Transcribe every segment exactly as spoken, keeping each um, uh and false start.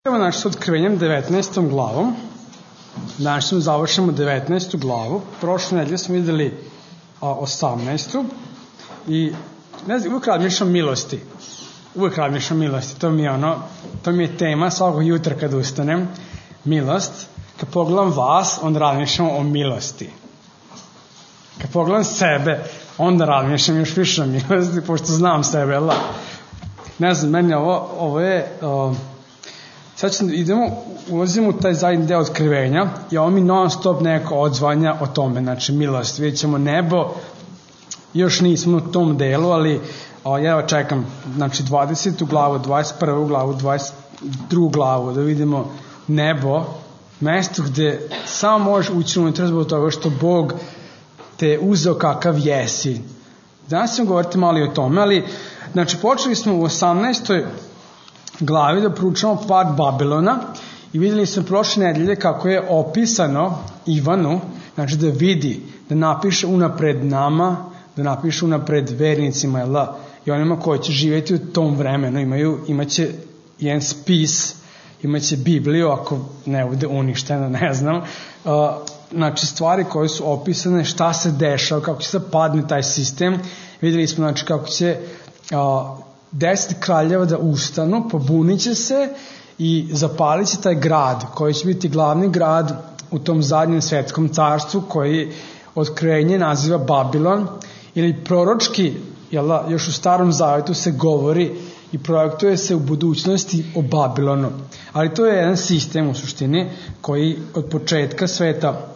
Evo znači s otkrivenjem devetnaestom glavom. Danas smo završimo devetnaestu glavu. Prošle nedelje smo videli osamnaestu i ne znam, uvijek razmišljam milosti. Uvijek razmišljam milosti. To mi je ono, to mi je tema svakog jutra kad ustanem. Milost. Kad pogledam vas, onda razmišljam o milosti. Kad pogledam sebe, onda razmišljam još više o milosti, pošto znam sebe, jel da? Ne znam, meni ovo, ovo je... Uh, sad ćemo, idemo, ulazimo u taj zadnji deo otkrivenja i ovo mi non stop neko odzvanja o tome, znači milost. Vidjet ćemo nebo, još nismo u tom delu, ali o, ja čekam, znači dvadesetu glavu, dvadeset prvu glavu, dvadeset drugu glavu, da vidimo nebo, mesto gde samo možeš ući unutra zbog toga što Bog te uzeo kakav jesi. Danas ćemo govoriti malo i o tome, ali znači počeli smo u osamnaestoj glavi da proučavamo pad Babilona i videli smo prošle nedelje kako je opisano Ivanu, znači da vidi, da napiše unapred nama, da napiše unapred vernicima, jel da, i onima koji će živjeti u tom vremenu, imaju, imaće jedan spis, imaće Bibliju, ako ne bude uništena, ne znam, uh, znači stvari koje su opisane, šta se dešava, kako će se padne taj sistem. Videli smo znači kako će uh, deset kraljeva da ustanu, pobunit će se i zapalit će taj grad koji će biti glavni grad u tom zadnjem svetskom carstvu koji otkrivenje naziva Babilon, ili proročki, jel, još u Starom Zavetu se govori i projektuje se u budućnosti o Babilonu. Ali to je jedan sistem u suštini koji od početka sveta,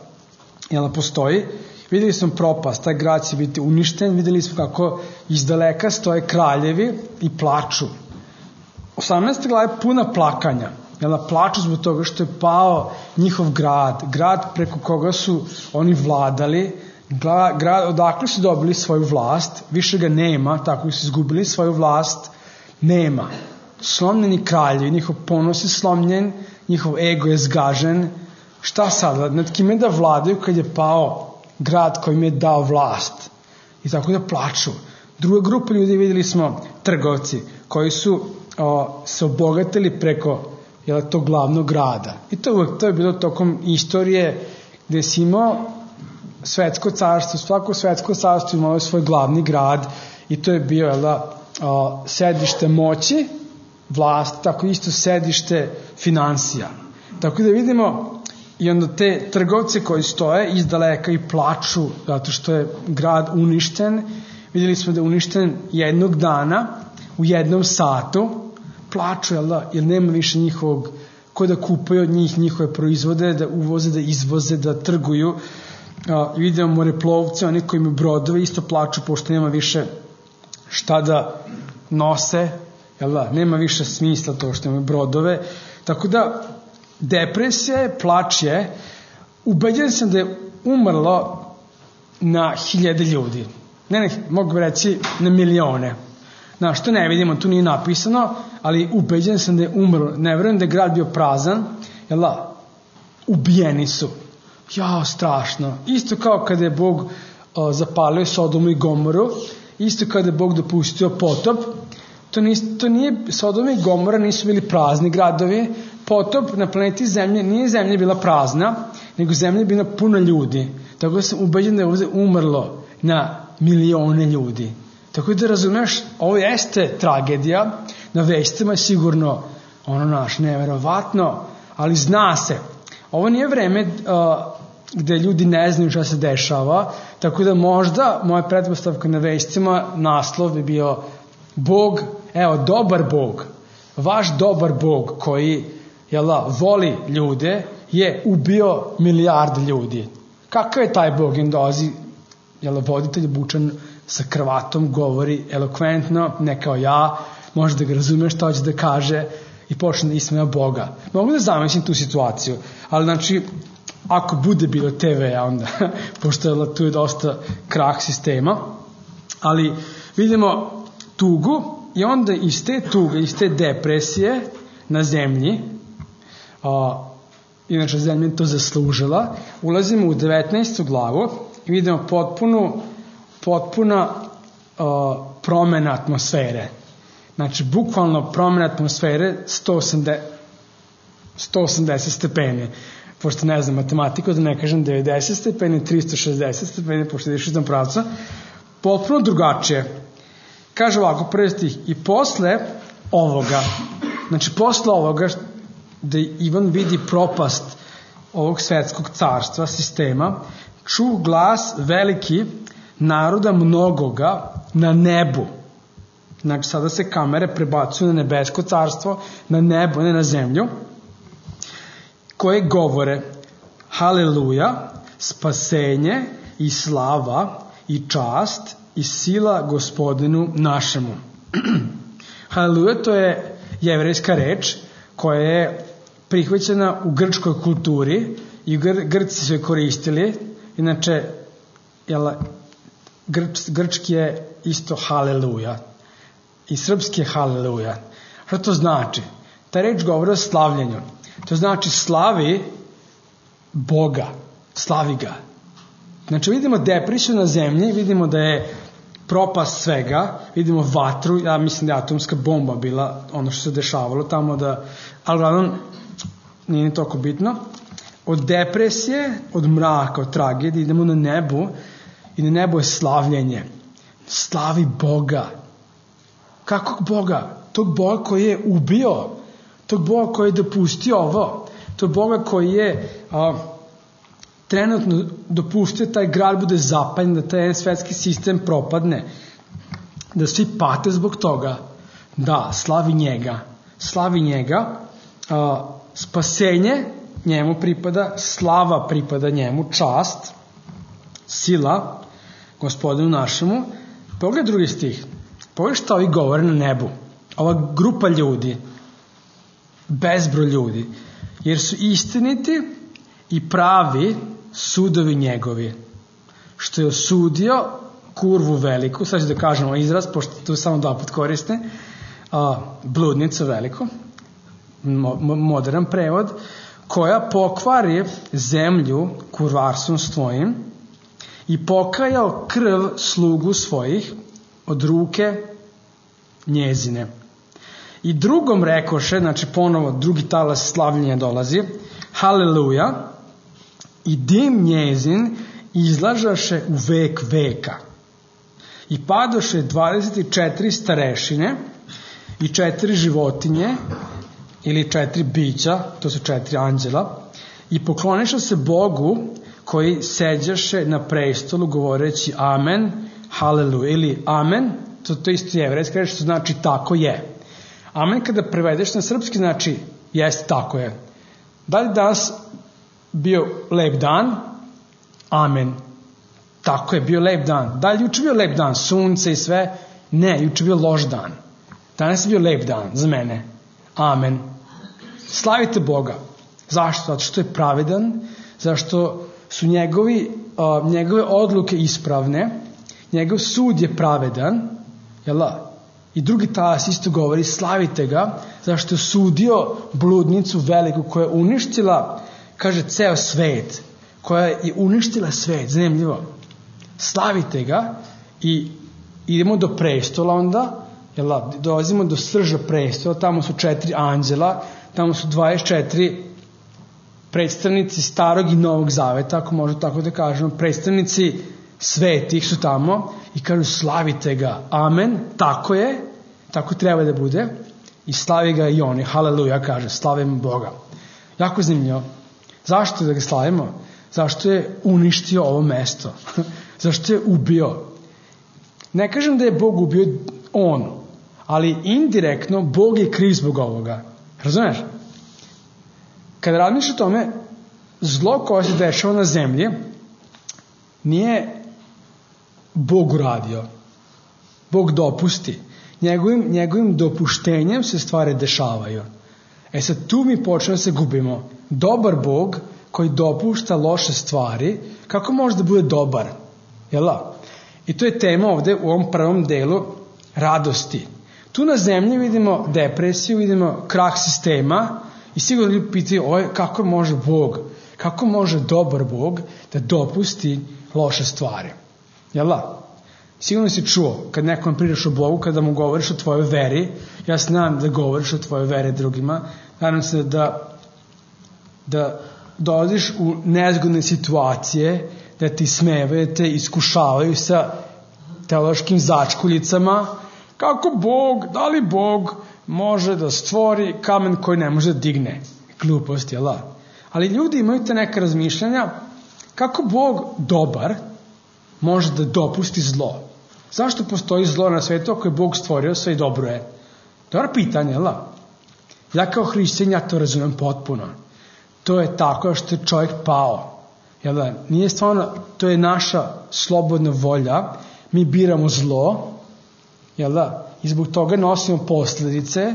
jel, postoji. Videli smo propast, taj grad će biti uništen, videli smo kako iz daleka stoje kraljevi i plaču. osamnaesta glava je puna plakanja, jel, plaču zbog toga što je pao njihov grad, grad preko koga su oni vladali, grad odakle su dobili svoju vlast, više ga nema, tako su izgubili svoju vlast, nema. Slomljeni kraljevi, njihov ponos je slomljen, njihov ego je zgažen. Šta sad, nad kime da vladaju kad je pao grad koji im je dao vlast? I tako da plaču. Druga grupa ljudi, videli smo, trgovci, koji su o, se obogatili preko, jel, tog glavnog grada. I to, to je bilo tokom istorije gde si imao svetsko carstvo, svako svetsko carstvo imalo svoj glavni grad i to je bio, jel, o, sedište moći, vlast, tako isto sedište finansija. Tako da vidimo i onda te trgovce koji stoje iz daleka i plaču zato što je grad uništen. Videli smo da je uništen jednog dana, u jednom satu. Plaču, jel da, jer nema više njihovog, ko da kupaju od njih njihove proizvode, da uvoze, da izvoze, da trguju. I vidimo moreplovce, oni koji imaju brodove, isto plaču pošto nema više šta da nose, jel da, nema više smisla to što imaju brodove. Tako da depresija je, plač je, ubeđen sam da je umrlo na hiljade ljudi. Ne, ne, mogu reći na milione. Znaš, to ne vidimo, tu nije napisano, ali ubeđen sam da je umrlo. Ne verujem da je grad bio prazan, jel da, ubijeni su. Jao, strašno. Isto kao kada je Bog o, zapalio Sodomu i Gomoru, isto kada je Bog dopustio potop, to, nis, to nije, Sodoma i Gomora nisu bili prazni gradovi, potop na planeti Zemlje, nije Zemlja bila prazna, nego Zemlja je bila puna ljudi. Tako da sam ubeđen da je ovdje umrlo na milione ljudi. Tako da razumeš, ovo jeste tragedija, na vestima je sigurno ono naš neverovatno, ali zna se. Ovo nije vreme uh, gde ljudi ne znaju šta se dešava, tako da možda moja pretpostavka na vestima, naslov bi bio Bog, evo, dobar Bog, vaš dobar Bog koji, jel da, voli ljude, je ubio milijarde ljudi. Kakav je taj Bog? I dolazi, jel, voditelj bučan sa kravatom, govori elokventno, ne kao ja, može da ga razumeš šta hoće da kaže i počne da ismeja Boga. Mogu da zamislim tu situaciju, ali znači, ako bude bilo te ve-a onda, pošto je tu je dosta krah sistema, ali vidimo tugu i onda iz te tuge, iz te depresije na zemlji, a, inače zemlja je to zaslužila, ulazimo u devetnaestu glavu i vidimo potpunu, potpuna a, promena atmosfere. Znači, bukvalno promena atmosfere sto osamdeset, sto osamdeset stepeni, pošto ne znam matematiku, da ne kažem devedeset stepeni, tristo šezdeset stepeni, pošto ideš iz tom pravca, potpuno drugačije. Kaže ovako, prvi stih, i posle ovoga, znači posle ovoga da Ivan vidi propast ovog svetskog carstva, sistema, ču glas veliki naroda mnogoga na nebu. Znači sada se kamere prebacuju na nebesko carstvo, na nebo, ne na zemlju, koje govore haleluja, spasenje i slava i čast i sila Gospodinu našemu. Haleluja, to je jevrejska reč koja je prihvaćena u grčkoj kulturi i gr- Grci su je koristili. Inače, jel, grč, grčki je isto haleluja i srpski je haleluja. Šta to znači? Ta reč govori o slavljenju. To znači slavi Boga, slavi ga. Znači vidimo depresiju na zemlji, vidimo da je propast svega, vidimo vatru, ja mislim da je atomska bomba bila ono što se dešavalo tamo, da, ali glavnom nije ni toliko bitno. Od depresije, od mraka, od tragedije idemo na nebu i na nebu je slavljenje. Slavi Boga. Kakvog Boga? Tog Boga koji je ubio, tog Boga koji je dopustio ovo, tog Boga koji je a, trenutno dopustio taj grad bude zapaljen, da taj svetski sistem propadne, da svi pate zbog toga. Da, slavi njega. Slavi njega. A, spasenje njemu pripada, slava pripada njemu, čast, sila Gospodinu našemu. Pogledaj drugi stih. Pogledaj šta ovi govore na nebu. Ova grupa ljudi, bezbroj ljudi, jer su istiniti i pravi sudovi njegovi, što je osudio kurvu veliku, sad ću da kažemo izraz, pošto to samo dva put koriste, a, bludnicu veliku, mo, modern prevod, koja pokvari zemlju kurvarstvom svojim i pokajao krv slugu svojih od ruke njezine. I drugom rekoše, znači ponovo drugi talas slavljenja dolazi, haleluja, i dim njezin izlažaše u vek veka. I padoše dvadeset četiri starešine i četiri životinje, ili četiri bića, to su četiri anđela, i pokloniše se Bogu koji seđaše na prestolu govoreći amen, haleluja, ili amen, to, to isto jevrejska reč, što znači tako je. Amen kada prevedeš na srpski znači jeste tako je. Da li danas bio lep dan? Amen. Tako je, bio lep dan. Da li juče bio lep dan? Sunce i sve? Ne, juče bio loš dan. Danas je bio lep dan za mene. Amen. Slavite Boga. Zašto? Zato što je pravedan, zašto su njegovi, uh, njegove odluke ispravne, njegov sud je pravedan, jel da? I drugi talas isto govori, slavite ga, zašto je sudio bludnicu veliku koja je uništila, kaže, ceo svet, koja je uništila svet, zanimljivo. Slavite ga i idemo do prestola onda, jel da? Dolazimo do srža prestola, tamo su četiri anđela, tamo su dvadeset četiri predstavnici starog i novog zaveta, ako možemo tako da kažemo, predstavnici svetih su tamo i kažu slavite ga, amen, tako je, tako treba da bude, i slavi ga i oni, haleluja, kaže, slavimo Boga. Jako zanimljivo. Zašto da ga slavimo? Zašto je uništio ovo mesto? Zašto je ubio? Ne kažem da je Bog ubio on, ali indirektno Bog je kriv zbog ovoga. Razumeš? Kada razmišljaš o tome, zlo koje se dešava na zemlji nije Bog uradio. Bog dopusti. Njegovim, njegovim dopuštenjem se stvari dešavaju. E sad tu mi počnemo da se gubimo. Dobar Bog koji dopušta loše stvari, kako može da bude dobar? Jel da? I to je tema ovde u ovom prvom delu radosti. Tu na zemlji vidimo depresiju, vidimo krah sistema i sigurno ljudi pitaju oj, kako može Bog, kako može dobar Bog da dopusti loše stvari. Jel da? Sigurno si čuo, kad nekom pričaš o Bogu, kada mu govoriš o tvojoj veri, ja znam da govoriš o tvojoj veri drugima, nadam se da da dolaziš u nezgodne situacije, da ti smevaju, da te iskušavaju sa teološkim začkuljicama, kako Bog, da li Bog može da stvori kamen koji ne može da digne. Glupost, jel da? Ali ljudi imaju te neka razmišljanja kako Bog dobar može da dopusti zlo. Zašto postoji zlo na svetu ako je Bog stvorio sve i dobro je? Dobro pitanje, jel da? Ja kao hrišćanin, ja to razumem potpuno. To je tako što je čovjek pao. Jel da? Nije stvarno, to je naša slobodna volja. Mi biramo zlo, jel da? I zbog toga nosimo posljedice.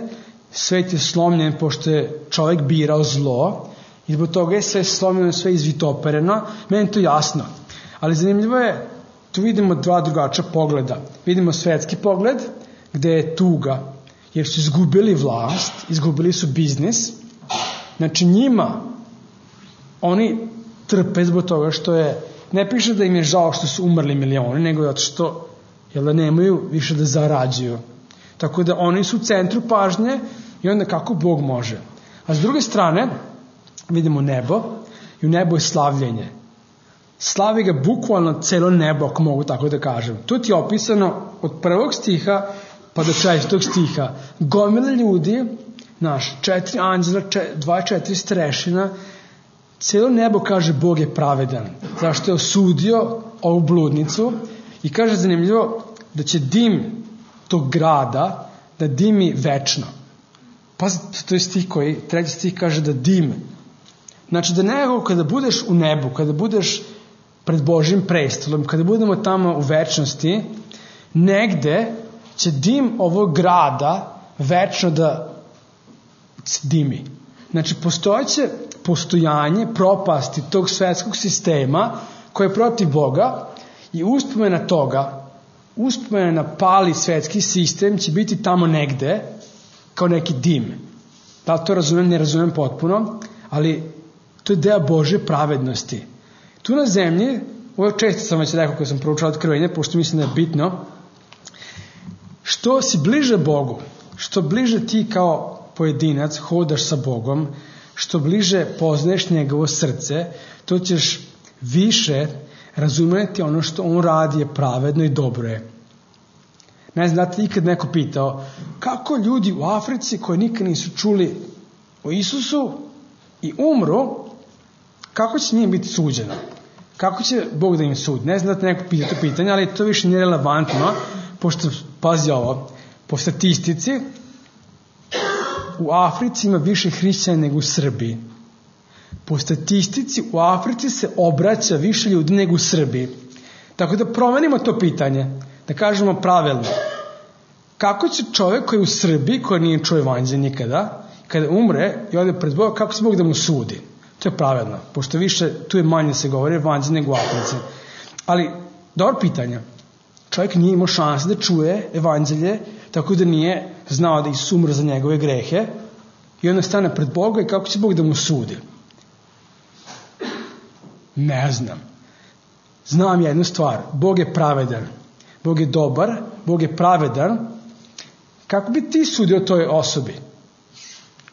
Svet je slomljen pošto je čovjek birao zlo. I zbog toga je sve slomljeno, sve izvitopereno. Meni je to jasno. Ali zanimljivo je, tu vidimo dva drugačija pogleda. Vidimo svetski pogled, gde je tuga, jer su izgubili vlast, izgubili su biznis. Znači njima, oni trpe zbog toga što je, ne piše da im je žao što su umrli milioni, nego zato što jel da nemaju više da zarađuju. Tako da oni su u centru pažnje i onda kako Bog može. A s druge strane, vidimo nebo i u nebu je slavljenje. Slavi ga bukvalno celo nebo, ako mogu tako da kažem. Tu ti je opisano od prvog stiha pa do četvrtog stiha. Gomile ljudi, naš, četiri anđela, dvadeset četiri strešina, celo nebo kaže Bog je pravedan. Zašto je osudio ovu bludnicu i kaže zanimljivo da će dim tog grada da dimi večno. Pazite, to je stih koji, treći stih kaže da dim. Znači da nego kada budeš u nebu, kada budeš pred Božjim prestolom, kada budemo tamo u večnosti, negde će dim ovog grada večno da dimi. Znači postojeće postojanje propasti tog svetskog sistema koje je protiv Boga i uspomena toga, uspomena na pali svetski sistem će biti tamo negde kao neki dim. Da li to razumem, ne razumem potpuno, ali to je deo Božje pravednosti. Tu na zemlji, ovo često sam već rekao kada sam proučao Otkrivenje, pošto mislim da je bitno, što si bliže Bogu, što bliže ti kao pojedinac hodaš sa Bogom, što bliže poznaješ njegovo srce, to ćeš više razumeti ono što on radi je pravedno i dobro je. Ne znam, da te ikad neko pitao, kako ljudi u Africi koji nikad nisu čuli o Isusu i umru, kako će njim biti suđeno? Kako će Bog da im sudi? Ne znam da te neko pita to pitanje, ali to više nije relevantno, pošto, pazi ovo, po statistici, u Africi ima više hrišćana nego u Srbiji. Po statistici, u Africi se obraća više ljudi nego u Srbiji. Tako da promenimo to pitanje, da kažemo pravilno. Kako će čovjek koji je u Srbiji, koji nije čuo evanđelje nikada, kada umre i ode pred Boga, kako će Bog da mu sudi? To je pravedno, pošto više, tu je manje se govori evanđelje nego u Africi. Ali, dobro pitanje. Čovjek nije imao šanse da čuje evanđelje, tako da nije znao da Isus umre za njegove grehe i onda stane pred Boga i kako će Bog da mu sudi? Ne znam. Znam jednu stvar. Bog je pravedan. Bog je dobar. Bog je pravedan. Kako bi ti sudio toj osobi?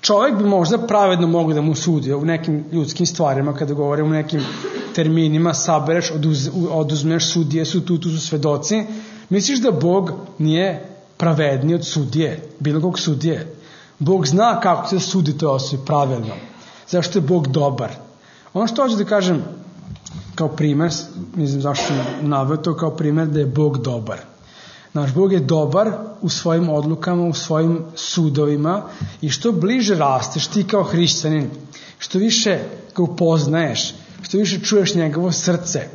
Čovjek bi možda pravedno mogao da mu sudi u nekim ljudskim stvarima, kada govorimo u nekim terminima, sabereš, oduz, oduzmeš sudije, su tu, tu su svedoci. Misliš da Bog nije pravedniji od sudije, bilo kog sudije? Bog zna kako se sudi toj osobi pravilno. Zašto je Bog dobar? Ono što hoću da kažem kao primer, ne znam zašto sam naveo to kao primer, da je Bog dobar. Naš Bog je dobar u svojim odlukama, u svojim sudovima i što bliže rasteš ti kao hrišćanin, što više ga upoznaješ, što više čuješ njegovo srce,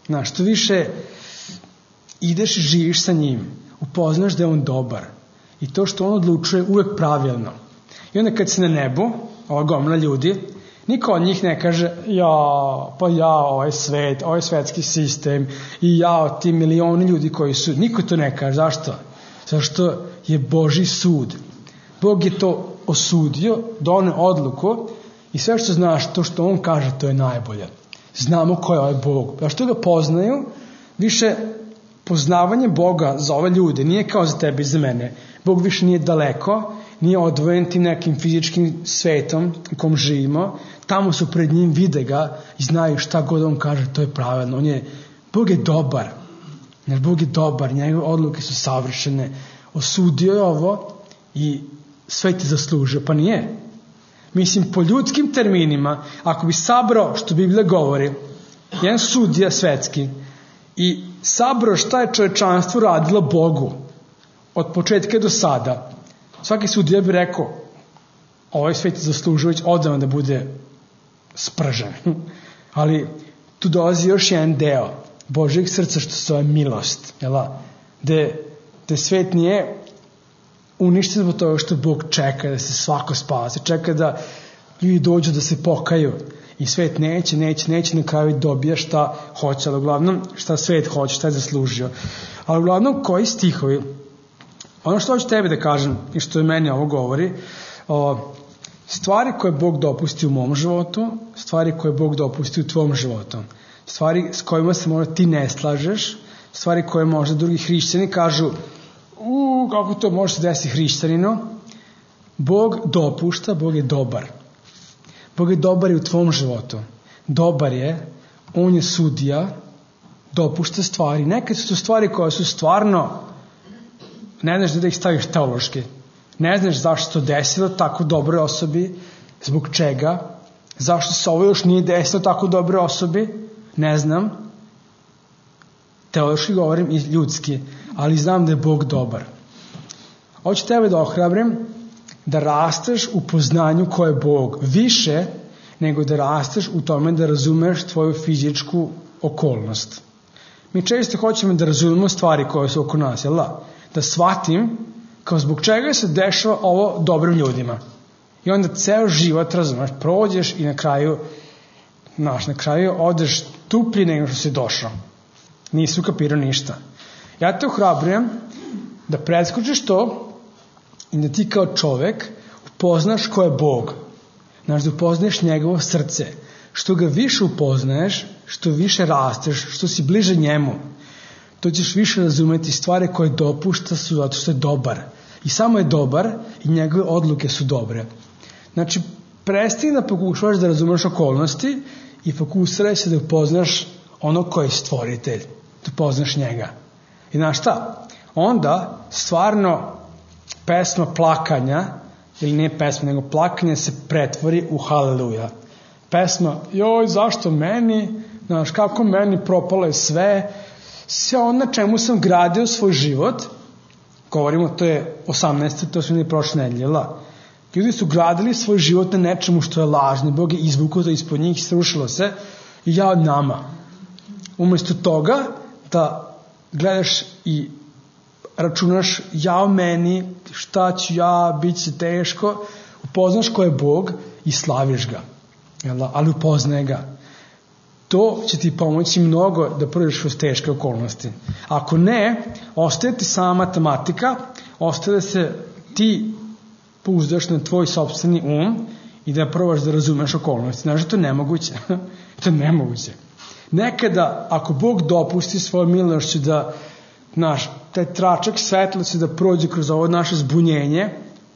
znaš, što više ideš i živiš sa njim, upoznaš da je on dobar i to što on odlučuje uvek pravilno. I onda kad si na nebu, ova gomila ljudi, niko od njih ne kaže, ja, pa ja, ovaj svet, ovaj svetski sistem i ja, ti milioni ljudi koji su, niko to ne kaže. Zašto? Zašto je Božji sud. Bog je to osudio, doneo odluku i sve što znaš, to što on kaže, to je najbolje. Znamo ko je ovaj Bog. Zašto ga poznaju? Više poznavanje Boga za ove ljude nije kao za tebe i za mene. Bog više nije daleko, nije odvojen tim nekim fizičkim svetom u kom živimo. tamo su pred njim, vide ga i znaju šta god on kaže, to je pravilno. On je, Bog je dobar. Jer Bog je dobar, njegove odluke su savršene. Osudio je ovo i sve ti zaslužio. Pa nije. Mislim, po ljudskim terminima, ako bi sabrao, što Biblija govori, jedan sudija svetski, i sabrao šta je čovečanstvo radilo Bogu od početka do sada, svaki sudija bi rekao, ovaj svet je zaslužio već odavno da bude spržen. Ali tu dolazi još jedan deo Božjeg srca, što se zove milost, jela? Gde, gde svet nije uništen zbog toga što Bog čeka da se svako spase, čeka da ljudi dođu da se pokaju i svet neće, neće, neće na kraju dobija šta hoće, ali uglavnom šta svet hoće, šta je zaslužio. Ali uglavnom koji stihovi, ono što hoću tebi da kažem i što je meni ovo govori, o, stvari koje Bog dopusti u mom životu, stvari koje Bog dopusti u tvom životu, stvari s kojima se možda ti ne slažeš, stvari koje možda drugi hrišćani kažu, u, kako to može se desiti hrišćaninu, Bog dopušta, Bog je dobar. Bog je dobar i u tvom životu. Dobar je, on je sudija, dopušta stvari. Nekad su to stvari koje su stvarno, ne znaš da ih staviš teološki. Ne znaš zašto to desilo tako dobroj osobi, zbog čega, zašto se ovo još nije desilo tako dobroj osobi, ne znam. Teološki govorim i ljudski, ali znam da je Bog dobar. Hoću tebe da ohrabrim da rasteš u poznanju ko je Bog više nego da rasteš u tome da razumeš tvoju fizičku okolnost. Mi često hoćemo da razumemo stvari koje su oko nas, jel da? Da shvatim kao zbog čega se dešava ovo dobrim ljudima. I onda ceo život, razumeš, prođeš i na kraju, znaš, na kraju odeš tuplji nego što si došao. Nisi ukapirao ništa. Ja te ohrabrujem da preskočiš to i da ti kao čovek upoznaš ko je Bog. Znaš, da upoznaješ njegovo srce. Što ga više upoznaješ, što više rasteš, što si bliže njemu, to ćeš više razumeti stvari koje dopušta su zato što je dobar. I samo je dobar i njegove odluke su dobre. Znači, prestani da pokušavaš da razumeš okolnosti i fokusiraj se da upoznaš ono ko je stvoritelj. Da upoznaš njega. I znaš šta? Onda stvarno pesma plakanja, ili nije pesma, nego plakanje se pretvori u haleluja. Pesma, joj, zašto meni, znaš, kako meni propalo je sve, sve ono na čemu sam gradio svoj život, govorimo, to je osamnaeste, to smo imali prošle nedelje, la. Ljudi su gradili svoj život na nečemu što je lažno, Bog je izvukao to ispod njih, srušilo se, i ja od nama. Umesto toga da gledaš i računaš, ja meni, šta ću ja, bit će teško, upoznaš ko je Bog i slaviš ga. Jel, ali upoznaj ga. To će ti pomoći mnogo da prođeš kroz teške okolnosti. Ako ne, ostaje ti sama matematika, ostaje da se ti pouzdaš na tvoj sopstveni um i da probaš da razumeš okolnosti. Znaš da to je nemoguće. To je nemoguće. Nekada, ako Bog dopusti svoju milošću da, znaš, taj tračak svetlosti da prođe kroz ovo naše zbunjenje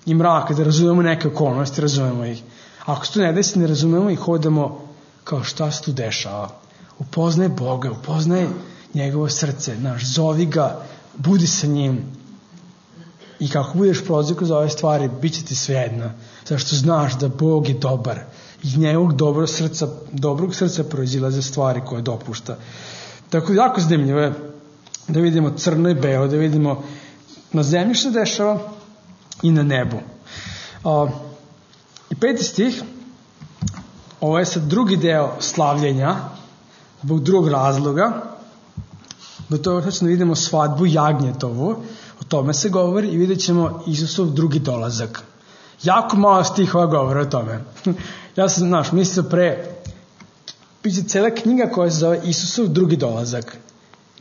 i mraka, da razumemo neke okolnosti, razumemo ih. Ako se to ne desi, ne razumemo i hodamo kao šta se tu dešava. Upoznaj Boga, upoznaj njegovo srce, znaš, zovi ga, budi sa njim. I kako budeš prolazio kroz ove stvari, bit će ti svejedno. Zašto znaš da Bog je dobar. Iz njegovog dobrog srca, dobrog srca proizilaze stvari koje dopušta. Tako jako zanimljivo je da vidimo crno i belo, da vidimo na zemlji što se dešava i na nebu. A, I peti stih, ovo je sad drugi deo slavljenja, zbog drugog razloga, do toga što vidimo svadbu jagnjetovu, o tome se govori i vidjet ćemo Isusov drugi dolazak. Jako malo stihova govore o tome. Ja sam, znaš, mislio pre, piše cela knjiga koja se zove Isusov drugi dolazak.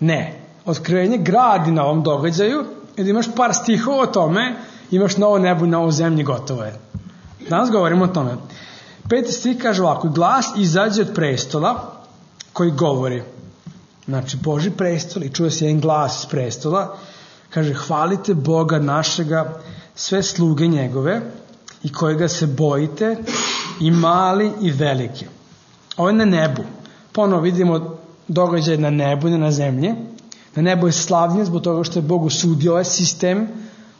Ne. Otkrivenje gradi na ovom događaju i da imaš par stihova o tome, imaš novo nebo i novo zemlji, gotovo je. Danas govorimo o tome. Peti stih kaže ovako, glas izađe od prestola koji govori. Znači, Božji prestol i čuje se jedan glas iz prestola, kaže, hvalite Boga našega, sve sluge njegove i kojega se bojite i mali i veliki. Ovo je na nebu. Ponovo vidimo događaj na nebu, ne na zemlji. Na nebu je slavljen zbog toga što je Bog osudio ovaj sistem,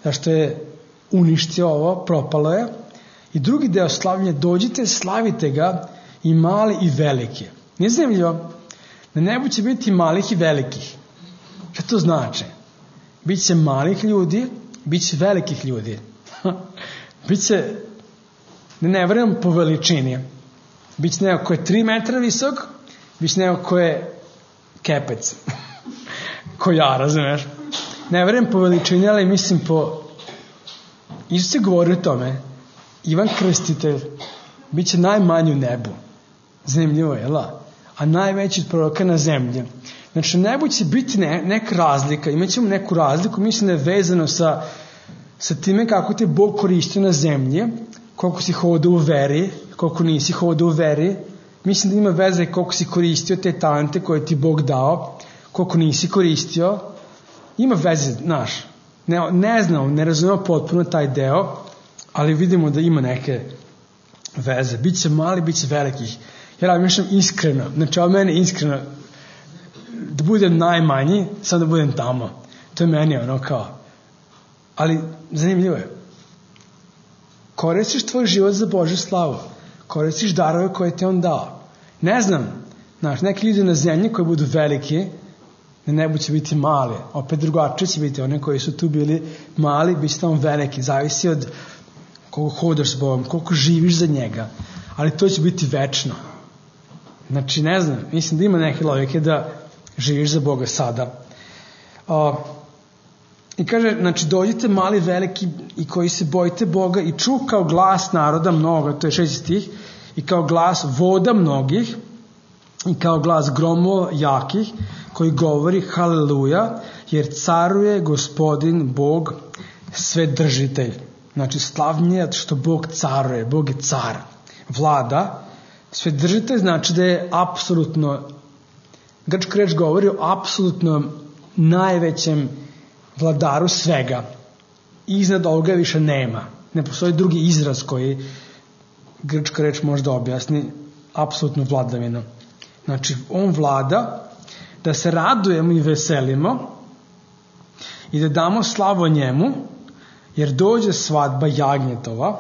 zašto je uništio ovo, propalo je. I drugi deo slavljenja, dođite, slavite ga i mali i veliki. Nije zanimljivo? Na nebu će biti malih i velikih. Šta to znači? Biće malih ljudi, biće velikih ljudi. Biće, ne, ne vremem po veličini, biće neko ko je tri metra visok, biće neko ko je kepec. Ko ja, razumeš? Ne vremem po veličini, ali mislim po... Isus se govori o tome. Ivan Krstitelj biće najmanji u nebu. Zanimljivo je, la? A najveći od proroka na zemlji. Znači, na nebu će biti ne, neka razlika. Imaćemo neku razliku, mislim da je vezano sa, sa time kako te Bog koristio na zemlji, koliko si hodao u veri, koliko nisi hodao u veri. Mislim da ima veze koliko si koristio te talente koje ti Bog dao, koliko nisi koristio. Ima veze, znaš. Ne, ne znam, ne razumemo potpuno taj deo, ali vidimo da ima neke veze. Biće mali, biće velikih. Ja razmišljam iskreno, znači ovo meni iskreno, da budem najmanji, samo da budem tamo. To je meni ono kao. Ali zanimljivo je. Koristiš tvoj život za Božju slavu. Koristiš darove koje ti on dao. Ne znam, znaš, neki ljudi na zemlji koji budu veliki, na nebu će biti mali. Opet drugačije će biti. One koji su tu bili mali, bit će tamo veliki. Zavisi od koliko hodaš s Bogom, koliko živiš za njega. Ali to će biti večno. Znači, ne znam, mislim da ima neke logike da živiš za Boga sada. O, I kaže, znači, dođite mali, veliki i koji se bojite Boga i ču kao glas naroda mnoga, to je šesti stih, i kao glas voda mnogih i kao glas gromova jakih koji govori haleluja, jer caruje Gospodin Bog svedržitelj. Znači, slavnije što Bog caruje, Bog je car, vlada. Svedržitelj znači da je apsolutno, grčka reč govori o apsolutno najvećem vladaru svega. Iznad ovoga više nema. Ne postoji drugi izraz koji grčka reč može da objasni apsolutnu vladavinu. Znači, on vlada, da se radujemo i veselimo i da damo slavu njemu, jer dođe svadba jagnjetova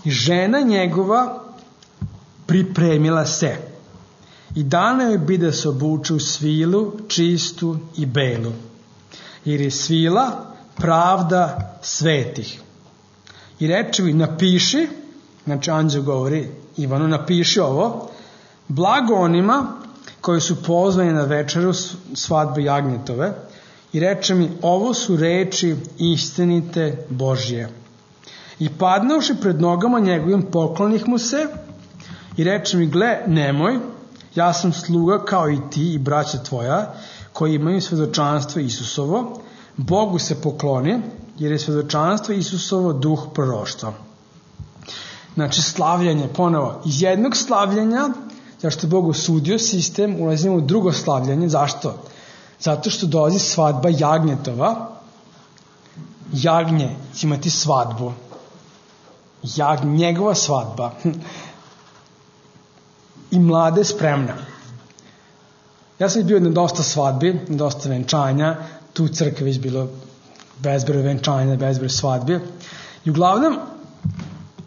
i žena njegova pripremila se. I dana joj bi da se obuče u svilu, čistu i belu. Jer je svila pravda svetih. I reče mi, napiši, znači anđeo govori Ivanu, napiši ovo, blago onima koji su pozvani na večeru svadbe jagnjetove, i reče mi, ovo su reči istinite Božje. I padnuvši pred nogama njegovim, poklonih mu se i reče mi, gle, nemoj, ja sam sluga kao i ti i braća tvoja, koji imaju svedočanstvo Isusovo, Bogu se pokloni, jer je svedočanstvo Isusovo duh proroštva. Znači, slavljanje, ponovo, iz jednog slavljanja, zašto je Bog osudio sistem, ulazimo u drugo slavljanje. Zašto? Zato što dolazi svadba jagnjetova. Jagnje će imati svadbu. Jag, njegova svadba. I mlada je spremna. Ja sam bio na dosta svadbi, na dosta venčanja, tu u crkvi već bilo bezbroj venčanja, bezbroj svadbi. I uglavnom,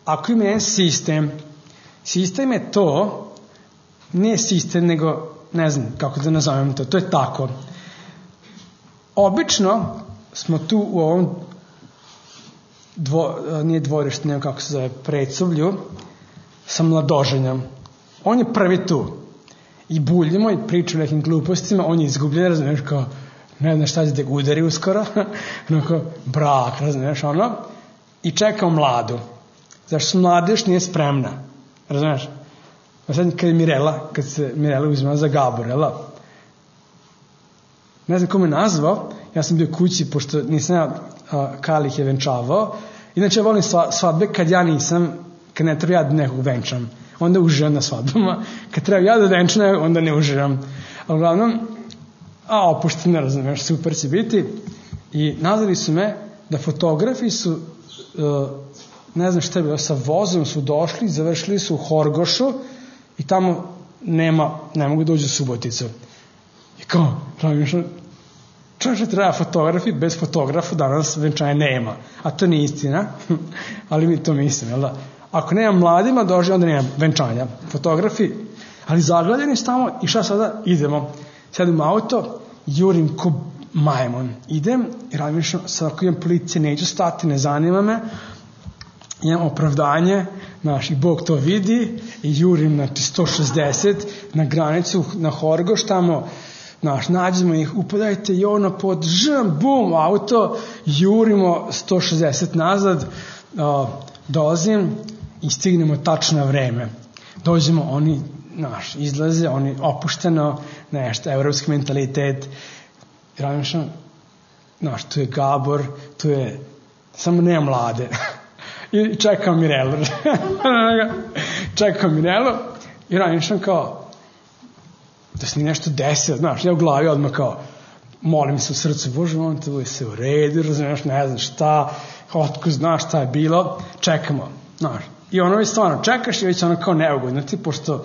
ako ima jedan sistem, sistem je to, nije sistem, nego, ne znam kako da nazovem to, to je tako. Obično smo tu u ovom dvo, nije dvorište, nego kako se zove, predsuvlju, sa mladoženjom. On je prvi tu. I buljimo i pričamo nekim glupostima, on je izgubljen, razumiješ, kao, ne znam šta će da ga udari uskoro, onako, brak, razumiješ, ono, i čekao mladu. Zašto su mlada još nije spremna, razumiješ? A sad kad je Mirela, kad se Mirela uzmala za Gabor, jela? Ne znam ko me nazvao, ja sam bio kući, pošto nisam ja Kali ih je venčavao. Inače, ja volim svadbe kad ja nisam, kad ne treba ja da nekog venčam. Onda uživam na svadbama. Kad treba ja da venčam, onda ne uživam. Ali uglavnom, a opušteno, ne razumiješ, super će biti. I nazvali su me da fotografi su uh, ne znam šta je bilo, sa vozom su došli, završili su u Horgošu i tamo nema, ne mogu da uđu u Suboticu. I kao, razmišljam, čovječe treba fotografi, bez fotografa danas venčanja nema. A to nije istina, ali mi to mislim, jel da? Ako nema mladima dođe, onda nema venčanja. Fotografi, ali zagledani su tamo i šta sada? Idemo. Sedim u auto, jurim ko majmun. Idem i razmišljam, sad ako imam policije, neću stati, ne zanima me. Imam opravdanje, znaš, i Bog to vidi i jurim, znači, sto šezdeset na granicu, na Horgoš, tamo, znaš, nađemo ih, upadajte i ono pod žem, bum, auto, jurimo sto šezdeset nazad, uh, dolazim i stignemo tačno na vreme. Dođemo, oni, znaš, izlaze, oni opušteno, nešto, evropski mentalitet, razmišljam, znaš, tu je Gabor, tu je, samo nema mlade. I čekam Mirelu. čekam Mirelu i razmišljam kao da se mi nešto desilo, znaš, ja u glavi odmah kao molim se u srcu, Bože, on te se u redu, razumiješ, ne znam šta, otko znaš šta je bilo, čekamo, znaš. I ono je stvarno, čekaš i već ono kao neugodno ti, pošto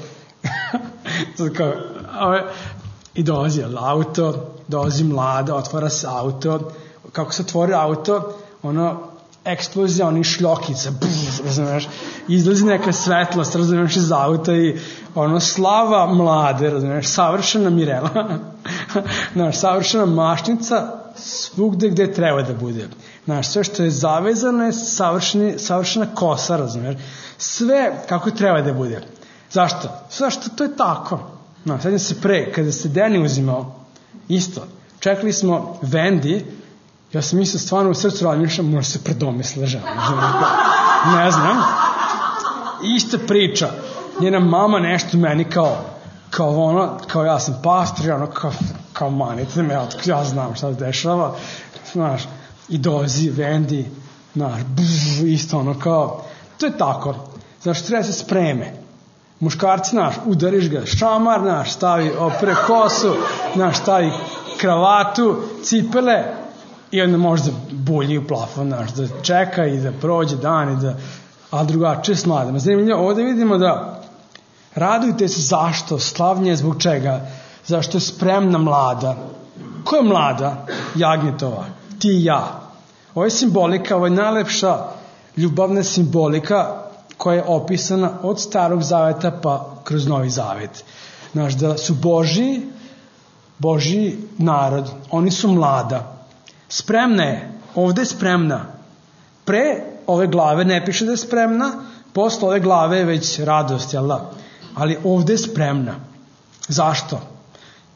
kao, ove, i dolazi auto, dolazi mlada, otvara se auto, kako se otvori auto, ono, eksplozija onih šljokica, buf, razumiješ, izlazi neka svetlost, razumiješ, iz auta i ono, slava mlade, razumiješ, savršena Mirela, znaš, savršena mašnica svugde gde treba da bude. Znaš, sve što je zavezano je savršena kosa, razumiješ, sve kako treba da bude. Zašto? Zašto to je tako. Znaš, sad se pre, kada se Deni uzimao, isto, čekali smo Vendi, ja sam mislio stvarno u srcu razmišljam, možda se predomisla žena. Ne znam. Ista priča. Njena mama nešto meni kao, kao ono, kao ja sam pastor, ono, kao, kao manite me, ja znam šta se dešava. Znaš, i dozi, Vendi, znaš, bzz, isto ono, kao, to je tako. Znaš, treba se spreme. Muškarci, znaš, udariš ga šamar, znaš, stavi opre kosu, znaš, stavi kravatu, cipele, i onda možda bulji u plafon, znaš, da čeka i da prođe dan i da, a drugačije s mladima. Zanimljivo, ovde vidimo da radujte se zašto, slavnje zbog čega, zašto je spremna mlada. Ko je mlada? Jagnjetova, ti i ja. Ovo je simbolika, ovo je najlepša ljubavna simbolika koja je opisana od Starog zaveta pa kroz Novi zavet. Znaš, da su Božji, Božji narod, oni su mlada. Spremna je, ovde je spremna. Pre ove glave ne piše da je spremna, posle ove glave je već radost, jel da? Ali ovde je spremna. Zašto?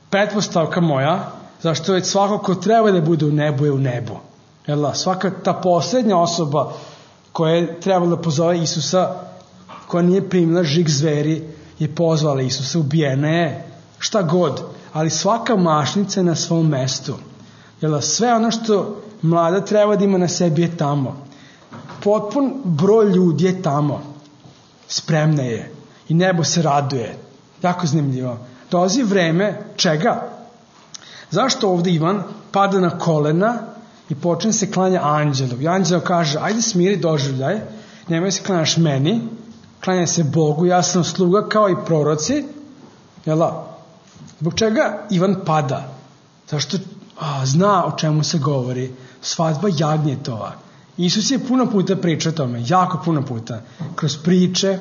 Pretpostavka moja, zašto već svako ko treba da bude u nebu je u nebu. Jel da? Svaka ta poslednja osoba koja je trebala da pozove Isusa, koja nije primila žig zveri, je pozvala Isusa, ubijena je, šta god. Ali svaka mašnica je na svom mestu. Jel da, sve ono što mlada treba da ima na sebi je tamo. Potpun broj ljudi je tamo. Spremna je. I nebo se raduje. Jako zanimljivo. Dolazi vreme čega? Zašto ovde Ivan pada na kolena i počne se klanja anđelu? I anđelo kaže, ajde smiri doživljaj, nemoj se klanjaš meni, klanja se Bogu, ja sam sluga kao i proroci. Jel da? Zbog čega Ivan pada? Zašto a, zna o čemu se govori. Svadba jagnjetova. Isus je puno puta pričao o tome, jako puno puta. Kroz priče,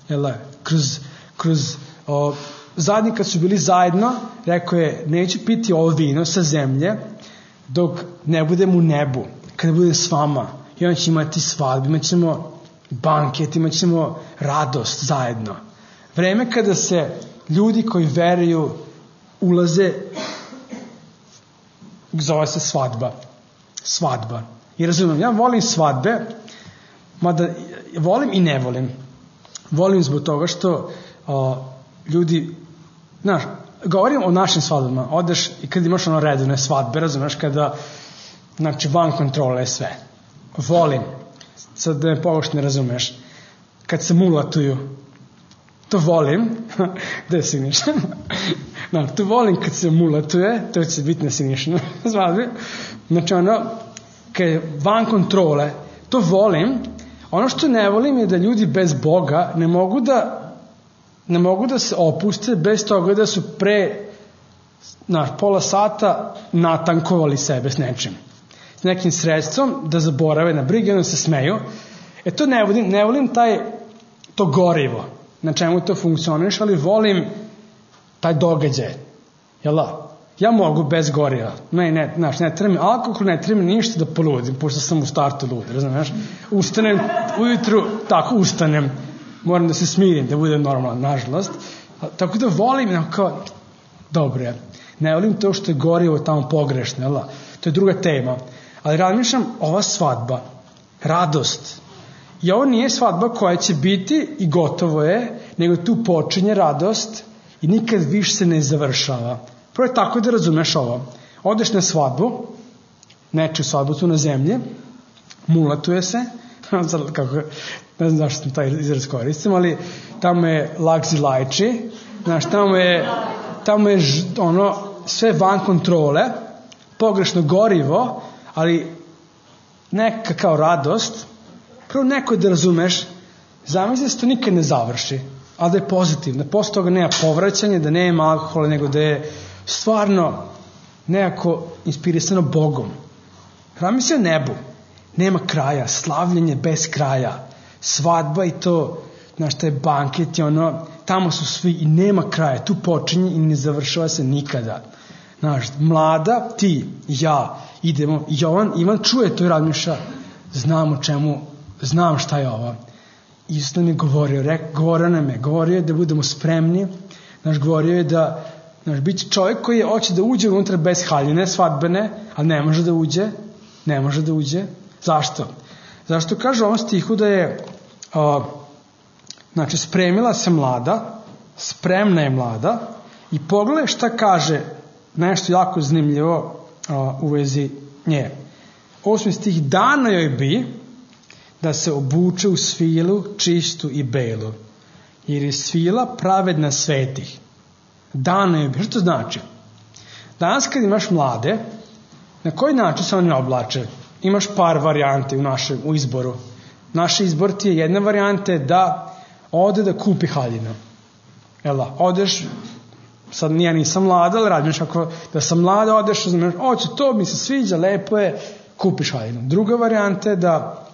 jel da? Kroz, kroz o, zadnji kad su bili zajedno, rekao je, neću piti ovo vino sa zemlje, dok ne budem u nebu, kada budem s vama. I onda će imati svadbu, imat ćemo banket, imat ćemo radost zajedno. Vreme kada se ljudi koji veruju ulaze, zove se svadba. Svadba. I razumijem, ja volim svadbe, mada volim i ne volim. Volim zbog toga što o, ljudi, znaš, govorim o našim svadbama, odeš i kad imaš ono redovne svadbe, razumeš, kada, znači, van kontrole je sve. Volim, sad da me pogoš ne razumeš, kad se mulatuju, to volim, gde si niš? No, to volim kad se mulatuje, to će biti na sinišnju svadbi, znači ono, kad je van kontrole, to volim, Ono što ne volim je da ljudi bez Boga ne mogu da ne mogu da se opuste bez toga da su pre na pola sata natankovali sebe s nečim. S nekim sredstvom da zaborave na brige, onda se smeju. E to ne volim, ne volim taj, to gorivo, na čemu to funkcioniš, ali volim taj događaj. Jel da? Ja mogu bez goriva. Ne, ne, znaš, ne treba mi alkohol, ne treba mi ništa da poludim, pošto sam u startu lud, razumiješ? Ustanem ujutru, tako ustanem, moram da se smirim, da budem normalan, nažalost. Tako da volim, kao, dobro je. Ne volim to što je gorivo tamo pogrešno, jel da? To je druga tema. Ali razmišljam, ova svadba, radost, i ovo nije svadba koja će biti i gotovo je, nego tu počinje radost i nikad više se ne završava. Prvo je tako da razumeš ovo. Odeš na svadbu, nečiju svadbu tu na zemlji, mulatuje se, kako, ne znam zašto sam taj izraz koristim, ali tamo je lagzi lajči, znaš, tamo je, tamo je ono, sve van kontrole, pogrešno gorivo, ali neka kao radost. Prvo neko da razumeš, zamisli da se to nikad ne završi, ali da je pozitivno, da posle toga nema povraćanja, da nema alkohola, nego da je stvarno nekako inspirisano Bogom. Zamisli o nebu, nema kraja, slavljenje bez kraja, svadba i to, znaš, taj banket i ono, tamo su svi i nema kraja, tu počinje i ne završava se nikada. Znaš, mlada, ti, ja, idemo, Jovan, Ivan čuje to i razmišlja, znam o čemu, znam šta je ovo. Isto nam je govorio, rek, govorio nam je, govorio je da budemo spremni, znaš, govorio je da, znaš, bit će čovjek koji hoće da uđe unutra bez haljine, svadbene, ali ne može da uđe, ne može da uđe. Zašto? Zašto kaže u ovom stihu da je, uh, znači, spremila se mlada, spremna je mlada i pogledaj šta kaže nešto jako zanimljivo uh, u vezi nje. Osmi stih, dano joj bi da se obuče u svilu čistu i belu, jer je svila pravedna svetih. Dano joj bi, što to znači? Danas kad imaš mlade, na koji način se oni oblače? Imaš par varijante u našem u izboru. Naš izbor ti je jedna varijanta da ode da kupi haljinu. Jel da? Odeš, sad ja nisam mlada, ali radiš ako da sam mlada, odeš, znaš, oće, to mi se sviđa, lepo je, kupiš haljinu. Druga varijanta je da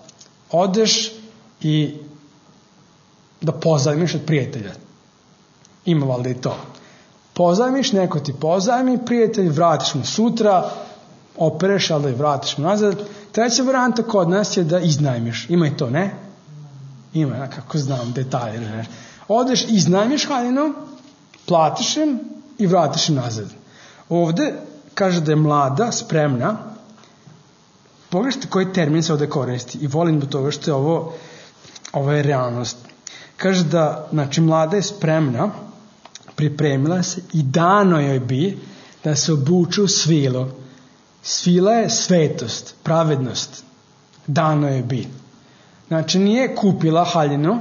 odeš i da pozajmiš od prijatelja. Ima valjda i to. Pozajmiš, neko ti pozajmi, prijatelj, vratiš mu sutra, opereš, ali da je vratiš mu nazad. Treća varijanta kod nas je da iznajmiš. Ima i to, ne? Ima, kako znam, detalje. Ne? Odeš, iznajmiš haljinu, platiš im i vratiš im nazad. Ovde kaže da je mlada, spremna. Pogledajte koji termin se ovde koristi i volim do toga što je ovo, ovo je realnost. Kaže da, znači, mlada je spremna, pripremila se i dano joj bi da se obuče u svilu. Svila je svetost, pravednost. Dano joj bi. Znači, nije kupila haljinu,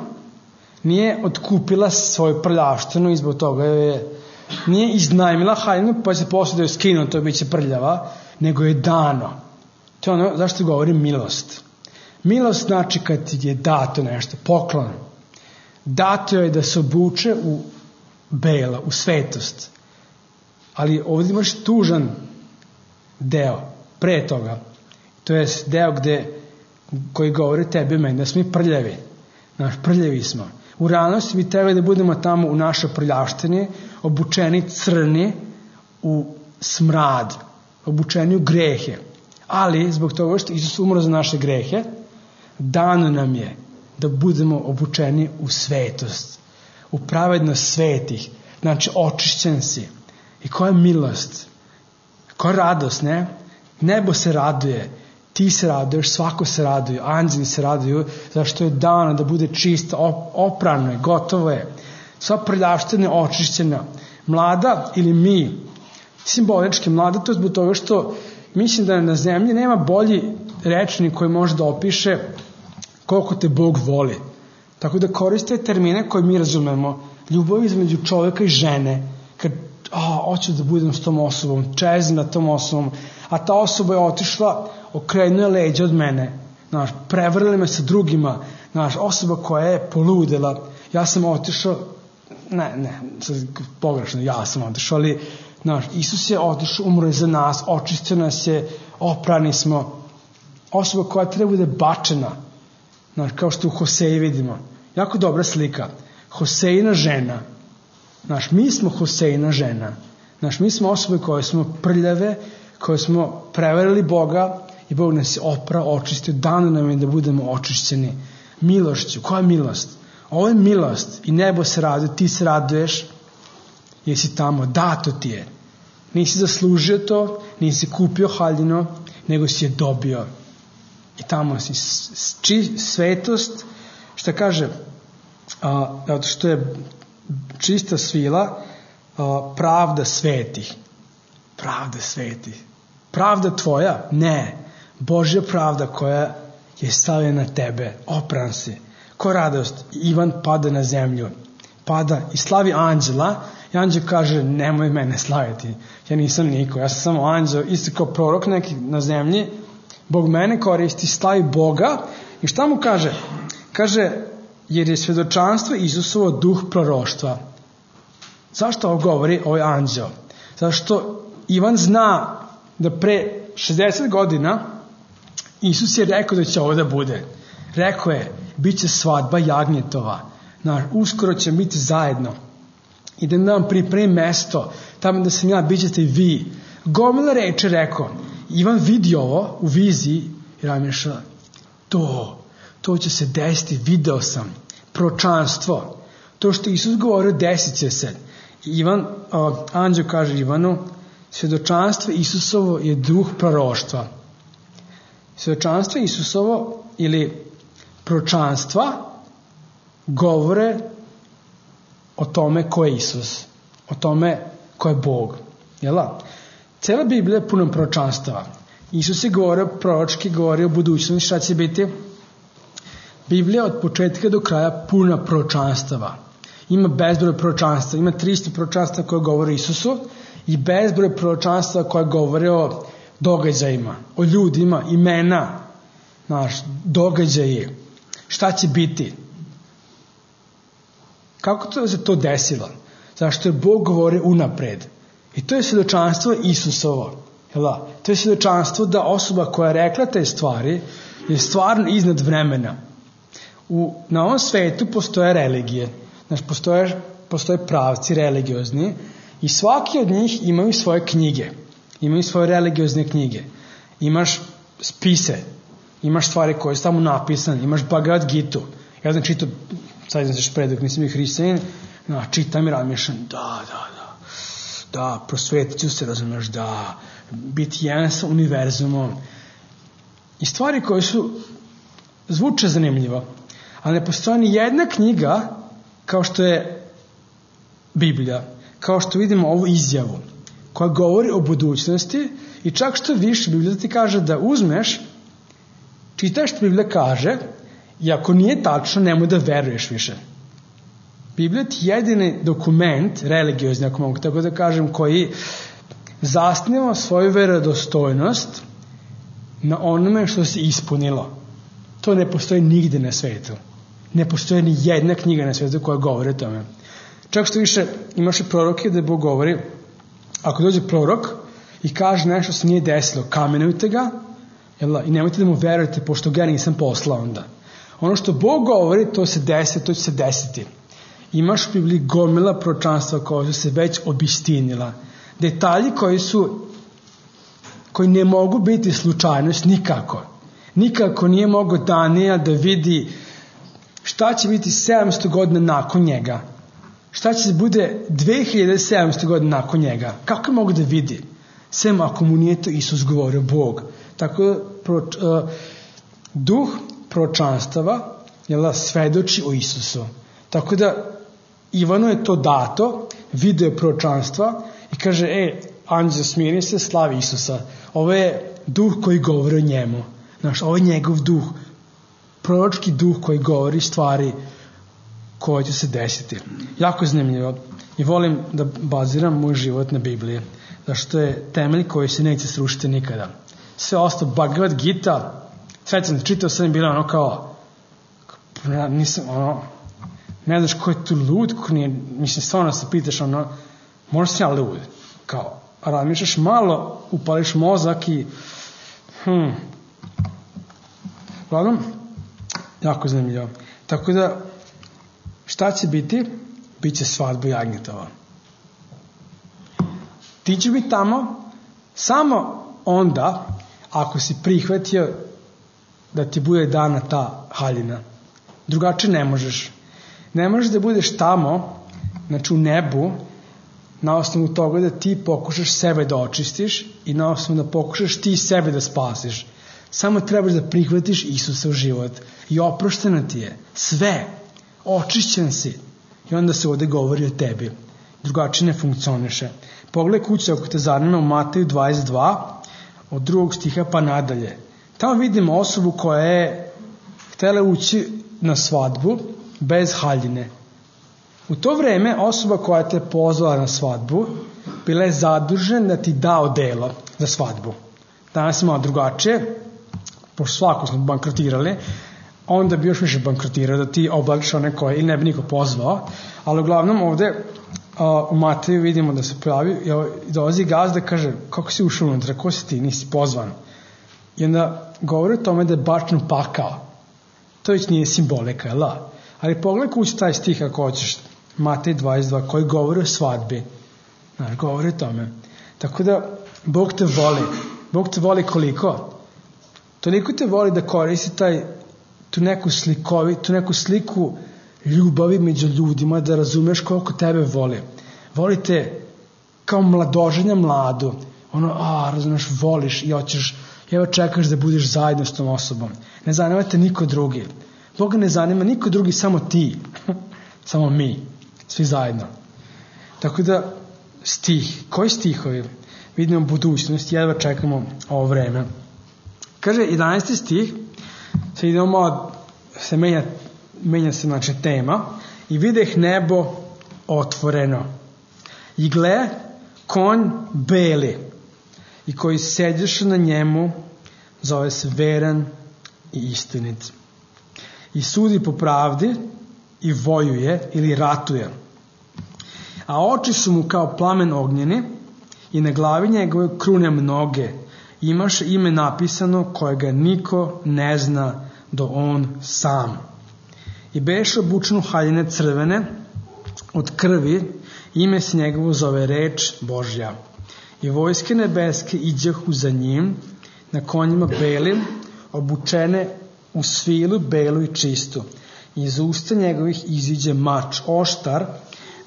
nije otkupila svoju prljavštinu i zbog toga je, nije iznajmila haljinu pa se posle da joj skinu, to biće prljava, nego je dano. To je ono, zašto govorim milost. Milost znači kad ti je dato nešto, poklon. Dato je da se obuče u bela, u svetost. Ali ovdje imaš tužan deo, pre toga. To je deo gde, koji govori tebi meni, da smo mi prljavi. Naš, prljavi smo. U realnosti mi treba da budemo tamo u našoj prljavštini, obučeni crni u smrad, obučeni u grehe. Ali, zbog toga što Isus umro za naše grehe, dano nam je da budemo obučeni u svetost, u pravednost svetih. Znači, očišćen si. I koja je milost? Koja je radost, ne? Nebo se raduje, ti se raduješ, svako se raduje, anđeli se raduju, zašto je dano da bude čisto, oprano je, gotovo je. Sva prljavština je očišćena. Mlada ili mi, simbolički mlada, to je zbog toga što mislim da na zemlji nema bolji rečnik koji može da opiše koliko te Bog voli. Tako da koriste termine koje mi razumemo. Ljubav između čoveka i žene. Kad, a, hoću da budem s tom osobom, čezim na tom osobom, a ta osoba je otišla, okrenuje leđa od mene. znaš, prevrli me sa drugima, znaš, osoba koja je poludela, ja sam otišao, ne, ne, pogrešno, ja sam otišao, ali, znaš, Isus je otišao, umro je za nas, očistio nas je, oprani smo, osoba koja treba bude bačena, znaš, kao što u Hoseji vidimo, jako dobra slika, Hosejina žena, znaš, mi smo Hosejina žena, znaš, mi smo osobe koje smo prljave, koje smo prevarili Boga i Bog nas je oprao, očistio, dano nam je da budemo očišćeni milošću. Koja je milost? Ovo je milost i nebo se raduje, ti se raduješ jer si tamo, dato ti je. Nisi zaslužio to, nisi kupio haljino, nego si je dobio. I tamo si či, svetost, što kaže, a, zato što je čista svila, a, pravda svetih. Pravda svetih. Pravda tvoja? Ne. Božja pravda koja je stavljena na tebe. Opran si. Ko radost? Ivan pada na zemlju. Pada i slavi anđela. I anđel kaže, nemoj mene slaviti. Ja nisam niko. Ja sam samo anđel. Isto kao prorok neki na zemlji. Bog mene koristi. Slavi Boga. I šta mu kaže? Kaže, jer je svedočanstvo Isusovo duh proroštva. Zašto ovo govori ovaj anđel? Zašto Ivan zna da pre šezdeset godina Isus je rekao da će ovo da bude. Rekao je, bit će svadba jagnjetova. Uskoro će biti zajedno. Idem da vam pripremim mesto. Tamo da sam ja, bit ćete i vi. Gomila reče rekao. Ivan vidi ovo u viziji i razmišlja, to, to će se desiti, video sam. Proročanstvo. To što Isus govorio, desit će se. Ivan, uh, anđeo kaže Ivanu, svjedočanstvo Isusovo je duh proroštva. Svjedočanstvo Isusovo ili proročanstva govore o tome ko je Isus, o tome ko je Bog. Jela? Cela Biblija je puno proročanstava. Isus je govorio proročki, govorio o budućnosti, šta će biti. Biblija od početka do kraja puna proročanstava. Ima bezbroj proročanstva, ima tristo proročanstva koje govore o Isusu i bezbroj proročanstva koje govore o događajima, o ljudima, imena, znaš, događaje, šta će biti. Kako to se to desilo? Zašto je Bog govori unapred. I to je svjedočanstvo Isusovo. Jela? To je svjedočanstvo da osoba koja je rekla te stvari je stvarno iznad vremena. U, na ovom svetu postoje religije. Znaš, postoje, postoje pravci religiozni i svaki od njih imaju svoje knjige. Imaju svoje religiozne knjige. Imaš spise. Imaš stvari koje su tamo napisane. Imaš Bhagavad Gitu. Ja sam čitao, sad znam se špredak, nisam ih hrišćanin, no, čitam i razmišljam, da, da, da, da, prosvetit ću se, razumiješ, da, biti jedan sa univerzumom. I stvari koje su, zvuče zanimljivo, ali ne postoji ni jedna knjiga kao što je Biblija, kao što vidimo ovu izjavu, koja govori o budućnosti i čak što više Biblija ti kaže da uzmeš, čitaš što Biblija kaže i ako nije tačno, nemoj da veruješ više. Biblija ti je jedini dokument, religiozni, ako mogu tako da kažem, koji zasniva svoju verodostojnost na onome što se ispunilo. To ne postoji nigde na svetu. Ne postoji ni jedna knjiga na svetu koja govori o tome. Čak što više imaš i proroke da Bog govori, ako dođe prorok i kaže nešto se nije desilo, kamenujte ga, jel, i nemojte da mu verujete pošto ga nisam poslao onda. Ono što Bog govori, to se desi, to će se desiti. Imaš u Bibliji gomila proročanstva koja su se već obistinila. Detalji koji su, koji ne mogu biti slučajnost nikako. Nikako nije mogao Danijel da vidi šta će biti sedamsto godina nakon njega. Šta će se bude dve hiljade sedamsto godina nakon njega. Kako je mogu da vidi? Sem ako mu nije to Isus govorio, Bog. Tako da pro, uh, duh proročanstava svedoči o Isusu. Tako da Ivanu je to dato, video proročanstva i kaže, e, anđeo smiri se, slavi Isusa. Ovo je duh koji govori o njemu. Znaš, ovo je njegov duh, proročki duh koji govori stvari koje će se desiti. Jako zanimljivo. I volim da baziram moj život na Bibliji, zašto je temelj koji se neće srušiti nikada. Sve ostalo, Bhagavad Gita, Svećam, čitao sam i bila ono kao, nisam, ono, ne znaš ko je tu lud, ko nije, mislim, stvarno se pitaš, ono, možda sam ja lud, kao, razmišljaš malo, upališ mozak i, hm, uglavnom, jako zanimljivo. Tako da, šta će biti? Biće svadba jagnjetova. Ti će biti tamo samo onda ako si prihvatio da ti bude dana ta haljina. Drugačije ne možeš. Ne možeš da budeš tamo, znači u nebu, na osnovu toga da ti pokušaš sebe da očistiš i na osnovu da pokušaš ti sebe da spasiš. Samo trebaš da prihvatiš Isusa u život i oprošteno ti je. Sve. Očišćen si. I onda se ovde govori o tebi. Drugačije ne funkcioniše. Pogledaj kuće ako te zanima u Mateju dvadeset dva, od drugog stiha pa nadalje. Tamo vidimo osobu koja je htjela ući na svadbu bez haljine. U to vreme osoba koja te pozvala na svadbu bila je zadužena da ti da odelo za svadbu. Danas je malo drugačije, pošto svako smo bankrotirali, onda bi još više bankrotirao da ti oblačiš one koje ili ne bi niko pozvao, ali uglavnom ovde a, u Mateju vidimo da se pojavi i dolazi gazda i kaže kako si ušao unutra, ko si ti, nisi pozvan. I onda govori o tome da je bačen u pakao. To već nije simbolika, jel da? Ali pogledaj kući taj stih ako hoćeš, Matej dvadeset dva, koji govori o svadbi. Znaš, govori o tome. Tako da, Bog te voli. Bog te voli koliko? Toliko te voli da koristi taj, tu neku slikovi, tu neku sliku ljubavi među ljudima, da razumeš koliko tebe voli. Voli te kao mladoženja mladu. Ono, a, razumeš, voliš i hoćeš, evo čekaš da budeš zajedno s tom osobom. Ne zanima te niko drugi. Boga ne zanima niko drugi, samo ti. Samo mi. Svi zajedno. Tako da, stih. Koji stihovi? Vidimo budućnost, jedva čekamo ovo vreme. Kaže, jedanaesti stih, sad idemo malo, se menja, menja se znači tema, i videh nebo otvoreno. I gle, konj beli, i koji sediše na njemu, zove se veran i istinit. I sudi po pravdi, i vojuje, ili ratuje. A oči su mu kao plamen ognjeni, i na glavi njegove krune mnoge, imaš ime napisano kojega niko ne zna do on sam. I beše obučen u haljine crvene od krvi, ime se njegovo zove reč Božja. I vojske nebeske iđahu za njim, na konjima belim, obučene u svilu belu i čistu. I iz usta njegovih iziđe mač oštar,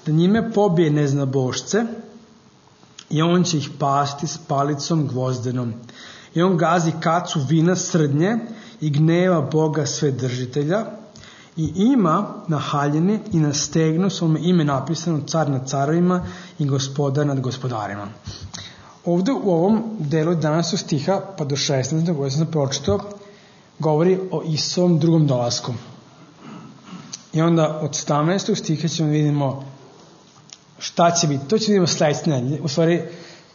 da njime pobije neznabošce, i on će ih pasti s palicom gvozdenom. I on gazi kacu vina srdnje i gneva Boga Svedržitelja, i ima na haljini i na stegnu svome ime napisano car nad carovima i gospodar nad gospodarima. Ovde u ovom delu današnjeg stiha pa do šesnaestog koji sam pročitao govori o Isusovom drugom dolasku. I onda od sedamnaestog stiha ćemo vidimo šta će biti. To će vidimo sledeće nedelje. U stvari,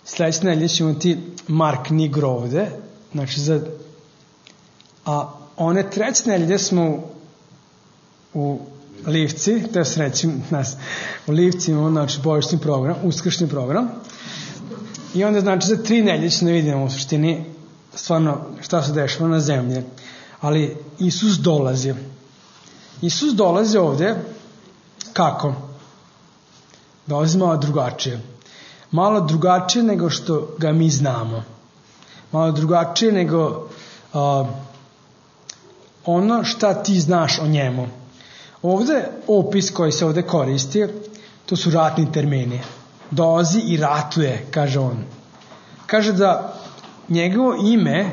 sledeće nedelje ćemo imati Mark Nigro ovde. Znači, za... A one treće nedelje smo u, u Livci, to je srećim nas, u Livci imamo, znači, božićni program, uskršnji program. I onda, znači, za tri nedelje ćemo da vidimo u suštini stvarno šta se dešava na zemlji. Ali Isus dolazi. Isus dolazi ovde kako? Dolazi malo drugačije. Malo drugačije nego što ga mi znamo. Malo drugačije nego uh, ono šta ti znaš o njemu. Ovde opis koji se ovde koristi, to su ratni termini. Dolazi i ratuje, kaže on. Kaže da njegovo ime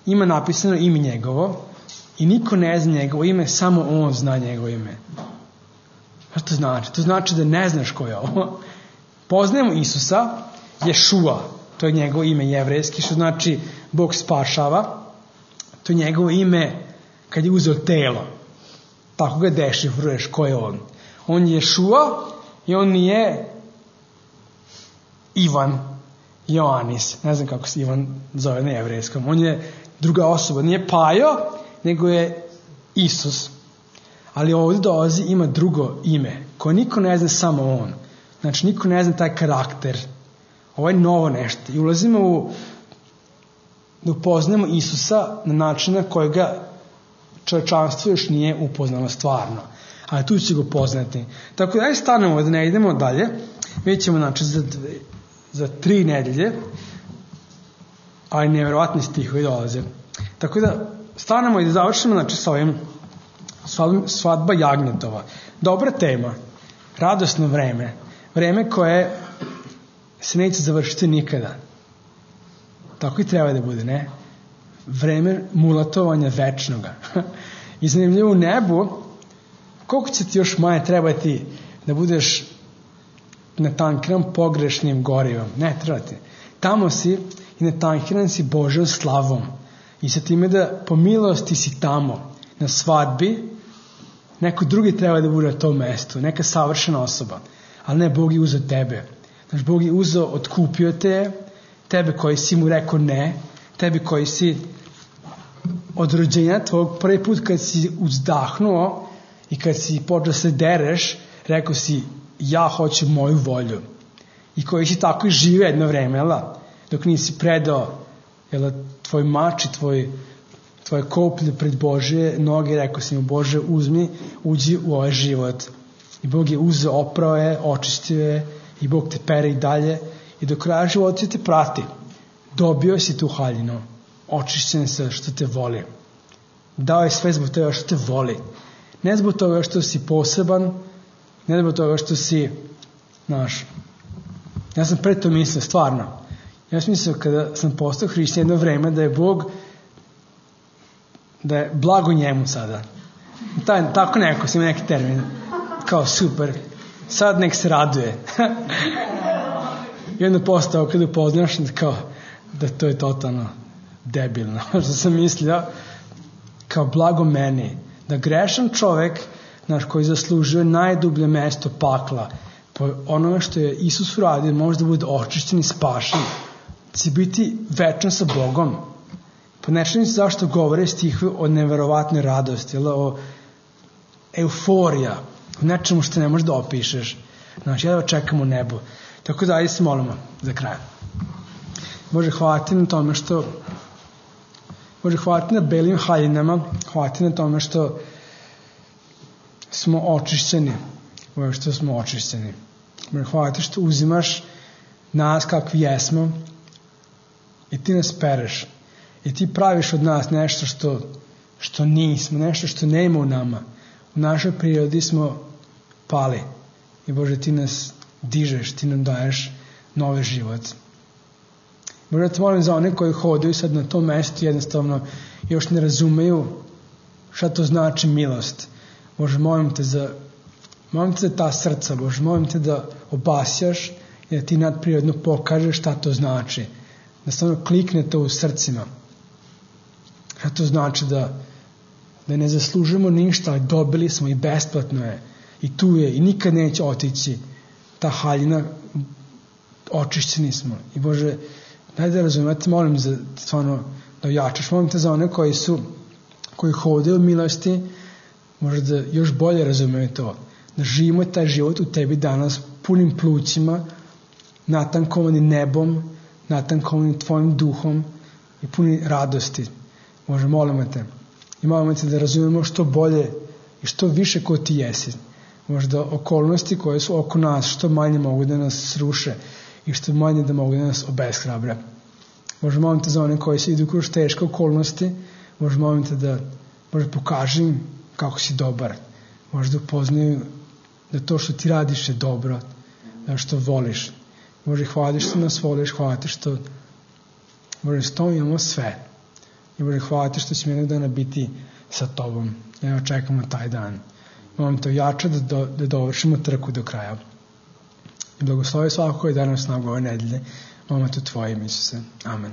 ima napisano ime njegovo i niko ne zna njegovo ime, samo on zna njegovo ime. Šta to znači? To znači da ne znaš ko je ovo. Poznajemo Isusa, Ješua, to je njegovo ime jevrejski, što znači Bog spašava. To je njegovo ime kad je uzeo telo. Tako ga dešifruješ ko je on. On je Ješua i on nije Ivan Joanis. Ne znam kako se Ivan zove na jevrejskom. On je druga osoba. Nije Pajo, nego je Isus. Ali ovdje dolazi, ima drugo ime, koje niko ne zna, samo on. Znači, niko ne zna taj karakter. Ovo je novo nešto. I ulazimo u, da upoznamo Isusa na način na kojega čovječanstvo još nije upoznalo stvarno. Ali tu će ga upoznati. Tako da, aj stanemo da ne idemo dalje. Mi ćemo, znači, za, dve, za tri nedelje, ali nevjerovatni stihovi dolaze. Tako da, stanemo i da završimo, znači, sa ovim svadba jagnjetova. Dobra tema. Radosno vreme. Vreme koje se neće završiti nikada. Tako i treba da bude, ne? Vreme mulatovanja večnoga. I zanimljivo u nebu, koliko će ti još manje trebati da budeš natankiran pogrešnim gorivom? Ne, treba ti. Tamo si i natankiran si Božjom slavom. I sa time da po milosti si tamo, na svadbi, neko drugi treba da bude na tom mestu, neka savršena osoba. Ali ne, Bog je uzeo tebe. Znači, Bog je uzeo, otkupio te, tebe koji si mu rekao ne, tebi koji si od rođenja tvojeg prvi put kad si uzdahnuo i kad si počeo se dereš, rekao si ja hoću moju volju. I koji si tako i žive jedno vreme, jel? Dok nisi predao, jel, tvoj mač i tvoj, tvoje koplje pred Božje noge, rekao si mu Bože uzmi, uđi u ovaj život. I Bog je uzeo, oprao je, očistio je i Bog te pere i dalje i do kraja života te prati. Dobio si tu haljinu, očišćen se što te voli. Dao je sve zbog toga što te voli. Ne zbog toga što si poseban, ne zbog toga što si, znaš, ja sam pre to mislio, stvarno. Ja sam mislio kada sam postao hrišćanin jedno vreme da je Bog, da je blago njemu sada. Taj, tako neko, sam neki termin. Kao super, sad nek se raduje. I onda postao kada upoznaš kao da to je totalno debilno. Što sam mislio, kao blago meni, da grešan čovek, naš, koji zaslužuje najdublje mesto pakla, po onome što je Isus uradio, može da bude očišćen i spašen, će biti večan sa Bogom. Po nečemu zašto govore stihove o neverovatnoj radosti, o euforija, o nečemu što ne možeš da opišeš. Znači, ja da čekam u nebu. Tako da, ajde se molimo za kraj. Bože, hvala ti na tome što Bože, hvala ti na belim haljinama, hvala ti na tome što smo očišćeni. Bože, što smo očišćeni. Bože, hvala ti što uzimaš nas kakvi jesmo i ti nas pereš. I ti praviš od nas nešto što, što nismo, nešto što ne ima u nama. U našoj prirodi smo pali. I Bože, ti nas dižeš, ti nam daješ novi život. Bože, te molim za one koji hodaju sad na tom mestu, jednostavno još ne razumeju šta to znači milost. Bože, molim te za, molim te za ta srca, Bože, molim te da obasjaš i da ti nadprirodno pokažeš šta to znači. Da stvarno klikne to u srcima. Šta to znači da, da ne zaslužujemo ništa, ali dobili smo i besplatno je. I tu je, i nikad neće otići ta haljina, očišćeni smo. I Bože, daj da razumijem, ja te molim za, stvarno, da ojačaš. Molim te za one koji su, koji hodaju u milosti, možda da još bolje razumiju to. Da živimo taj život u tebi danas punim plućima, natankovani nebom, natankovani tvojim duhom i puni radosti. Bože, molimo te. I molimo te da razumijemo što bolje i što više ko ti jesi. Možda okolnosti koje su oko nas što manje mogu da nas sruše i što manje da mogu da nas obeshrabre. Bože, molim te za one koji se idu kroz teške okolnosti. Bože, molim te da Bože, pokaži im kako si dobar. Bože, da upoznaju da to što ti radiš je dobro, da što voliš. Bože, hvala ti što nas voliš, hvala ti što Bože, s tom imamo sve. I Bože, hvala ti što ćemo jednog dana biti sa tobom. Ja čekamo taj dan. Molim te ojača da, do, da dovršimo trku do kraja. I blagoslovi svako koji je danas snagu ove nedelje. Molim te u tvojim, Isuse. Amen.